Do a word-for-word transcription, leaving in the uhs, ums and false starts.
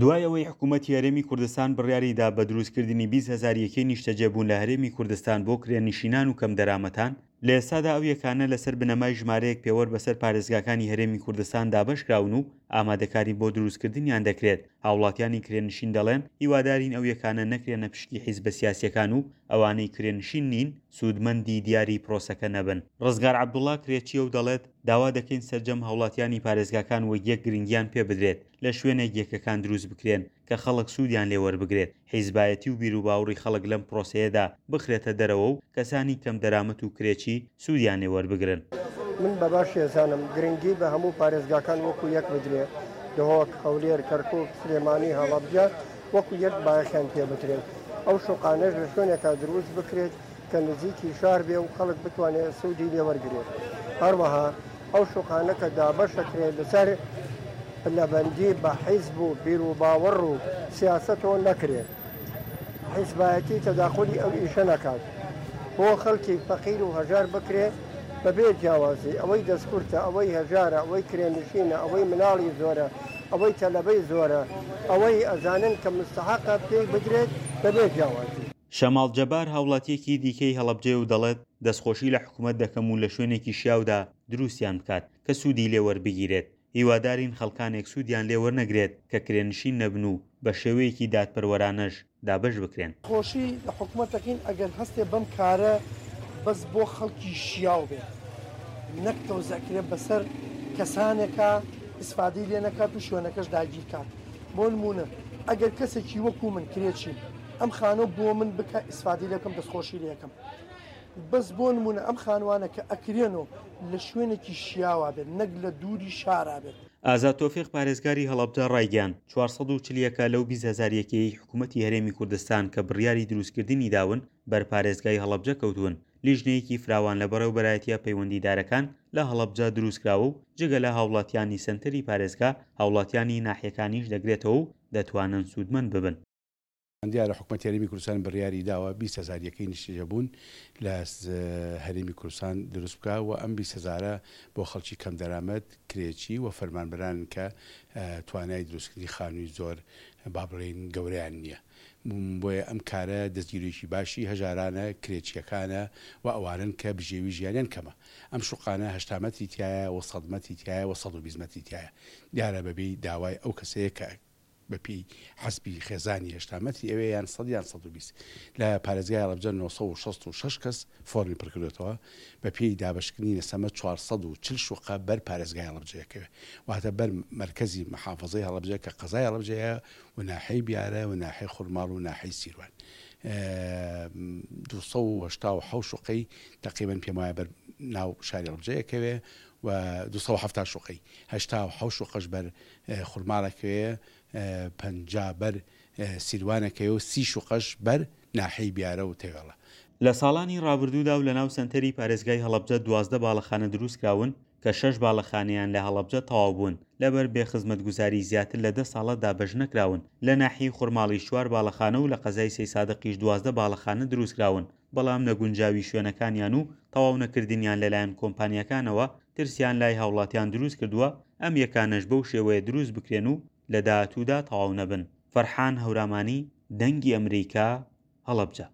دوای ئەوەی حکوومەتی هەرێمی کوردستان بڕیاری دا بە دروستکردنی بیست هەزار یەکەی نیشتەجێبوون لە هەرێمی کوردستان بۆ کرێنشینان و کەمدەرامەتان، لە ئێستادا ئەو یەکانە لەسەر بنەمای ژمارەیەک پێوەر بەسەر پارێزگاکانی هەرێمی کوردستان دابەشکراون و ئامادەکاری بۆ دروستکردنیان دەکرێت. هاوڵاتیانی کرێنشین دەڵێن، هیوادارین ئەو یەکانە نەکرێنە پشکی حیزبە سیاسییەکان و ئەوانەی کرێنشین نین سوودمەندی دیاری پرۆسەکە نەبن. ڕزگار عەبدوڵا کرێچییە و دەڵێت، داوا دەکەین سەرجەم هاوڵاتیانی پارێزگاکان وەک یەک گرنگیان پێبدرێت، لە شوێنێک یەکەکان دروست بکرێن کە خەڵک سوودیان لێ وەربگرێت، حیزبایەتی و بیروباوڕی خەڵک لەم پرۆسەیەدا بخرێتە دەرەوە و کەسانی کەمدەرامەت و کرێچی سوودیان لێ وەربگرن. من بە باشی ئەزانم گرنگی بە هەموو پارێزگاکان وەکو یەک بدرێ، دهۆک، هەولێر، کەرکوک، سلێمانی، هەڵەبجە وەکو یەک بایەخیان پێ بدرێت. ئەو شوقانەش لە شوێنێکا دروست بکرێت کە نزیکی شار بێ و خەڵک بتوانێت سوودی لێ وەرگرێت. هەروەها ئەو شوقانە کە دابەش ئەکرێت لەسەر پلەبەندی بە حیزب و بیروباوەڕ و سیاسەتەوە نەکرێت، حیزبایەتی تەداخولی ئەو ئیشە نەکات، بۆ خەڵکی فەقیر و هەژار بکرێت بەبێ جیاوازی، ئەوەی دەستکورتە، ئەوەی هەژارە، ئەوەی کرێنشینە، ئەوەی مناڵی زۆرە، ئەوەی تەلەبەی زۆرە، ئەوەی ئەزانن کە مستەحەقە پێی بدرێت بەبێ جیاوازی. شەماڵ جەبار هاوڵاتییەکی دیکەی هەڵەبجەیە و دەڵێت، دەستخۆشی لە حکومەت دەکەم و لە شوێنێکی شیاودا دروستیان بکات کە سوودی لێ وەربگیرێت، هیوادارین خەڵکانێک سوودیان لێ وەرنەگرێت کە کرێنشین نەبن و بەشێوەیەکی دادپەروەرانەش دابەش بکرێن. خۆشی لە حکومەت دەکەین ئەگەر هەستێ بەم کارە بەس بۆ خەڵکی شیاو بێت نەک تەوزعکرێت بەسەر کەسانێکا ئیسفادەی لێ نەکات و شوێنەکەش داگیر کات. بۆ نمونە ئەگەر کەسێکی وەکو من کرێچیم ئەم خانوو بۆ من بکە ئیسفادەی لێ بکەم دەستخۆشی لێ ئەکەم، بەس بۆ نمونە ئەم خانوانە کە ئەکرێنەوە لە شوێنێکی شیاوا بێت نەک لە دووری شارا بێت. ئازاد تۆفیق پارێزگاری هەڵەبجە ڕایگەیاند، چوار سەد و چل یەکە لەو بیست هەزار یەکەیەی حکومەتی هەرێمی کوردستان کە بڕیاری دروستکردنی داون بەر پارێزگای هەڵەبجە کەوتوون، لیژنەیەکی فراوان لە بەڕێوبەرایەتیە پەیوەندیدارەکان لە هەڵەبجە دروستکراوە و جگە لە هاوڵاتیانی سەنتەری پارێزگا هاوڵاتیانی ناحیەکانیش دەگرێتەوە و دەتوانن سوودمەند ببن. دیارە حکومەتی هەرێمی کوردستان بڕیاری داوە بیست هەزار یەکەی نیشتەجێبوون لە هەرێمی کوردستان دروست بکا و ئەم بیست هەزارە بۆ خەڵکی کەمدەرامەت، کرێچی و فەرمانبەرانن کە توانای دروستکردنی خانووی زۆر با بڵێین گەورەیان نییە. بۆیە ئەم کارە دەستگیریی باشی هەژارانە، کرێچییەکانە و ئەوانەن کە بژێوی ژیانیان کەمە. ئەم شوقانە هەشتا مەتری تیایە و سەد مەتری تیایە و سەد و بیست مەتری تیایە. دیارە بەبێی داوای ئەو کەسەیە کە بەپێی حەسبی خێزانی هەشتا مەتری ئەوێ یان سەد یان سەد و بیست. لە پارێزگای هەڵەبجە نۆ سەد و شەست و شەش کەس فۆرمی پڕکردوێتەوە. بەپێی دابەشکردنی نەسەمە چوار سەد و چل شوقە بەر پارێزگای هەڵەبجە یەکەوێ، واتە بەر مەرکەزی محافظەی هەڵەبجە کە قەزای هەڵەبجەیە و ناحیەی بیارە و ناحیەی خورماڵ و ناحیەی سیروان. دوو سەد و هەشتا و حەوت شوقەی تقریبا پێم وایە بەر ناو شاری هەڵەبجە یەکەوێ و دوو سەد و حەفتا شوقەی، هەشتا و حەوت شوقەش بەر خورماڵەکەوێ، پەنجا بەر سیروانەکەوێ و سی شوقەش بەر ناحیەی بیارە و تەوێڵە. لە ساڵانی ڕابردوودا و لەناو سەنتەری پارێزگای هەڵەبجە دوازدە باڵەخانە دروستکراون کە شەش باڵەخانەیان لە هەڵەبجە تەواو بوون، لەبەر بێخزمەتگوزاری زیاتر لە دە ساڵە دابەش نەکراون. لە ناحیەی خورماڵیش چوار باڵەخانە و لە قەزای سەیسادقیش دوازدە باڵەخانە دروستکراون، بەڵام نەگونجاوی شوێنەکانیان و تەواو نەکردنیان لەلایەن کۆمپانیاکانەوە ترسیان لای هاوڵاتیان دروست کردووە، ئەم یەکانەش بەو شێوەیە دروست بکرێن و لە داهاتوودا تەواو نەبن. فەرحان هەورامانی، دەنگی ئەمریکا، هەڵەبجە.